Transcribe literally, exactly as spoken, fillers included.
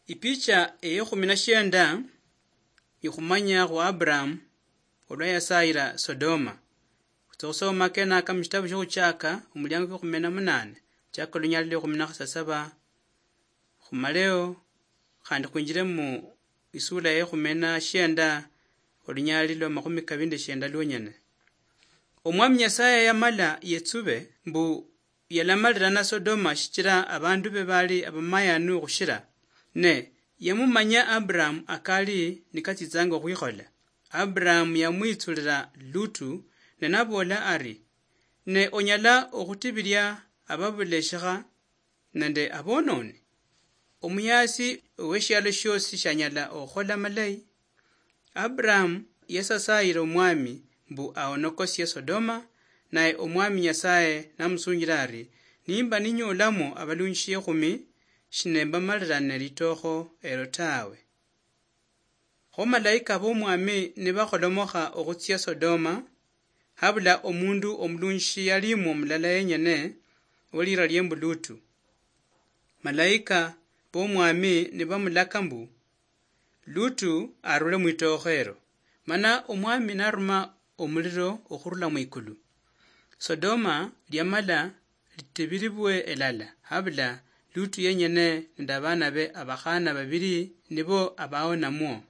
Ipicha eyekhumi na shienda ikhumanya khu Abraham olwa yasayira Sodoma. Khutsa khusoma kenaka mushitabu shiokhutshaka omuliango kwekhumi na munane, chaka olunyali lwekhumi na khasasaba khumaleo, khandi khwinjire mu isula yekhumi na shienda olunyali lwa makhumi kabili nde shienda lwonyene. Omwami Nyasaye yamala yetsube mbu yalamalirana Sodoma shichira abandu be bali abamayanu khushira. Ne yamumanya Abraham akali nikatsitsanga okhwikhola. Abraham yamwitsulira Lutu ne nabola ari, "Ne onyala okhutibiria ababuleshikha nende abononi? Omuyasi weshialo shiosi shanyala okhukhola malayi?" Abraham yasasayira Omwami mbu aonokosie Sodoma, naye Omwami Nyasaye namusunjira ari, "Nimba ninyolamo abalunjishi ekhumi, shinembamaliranire litokho elo tawe." Kho malaika b'Omwami nibakholomokha okhutsia Sodoma, habula omundu omulunjishi yalimwo mulala yenyene, olira lie mbu Lutu. Malaika b'Omwami nibamulaka mbu, "Lutu arule mwitookho ero." Mana Omwami naruma omuliro okhurula mwikulu. Sodoma liamala litibiribwe elala, habula Lutu yenyene nende abaana be abakhana babiri nibo abaonamwo.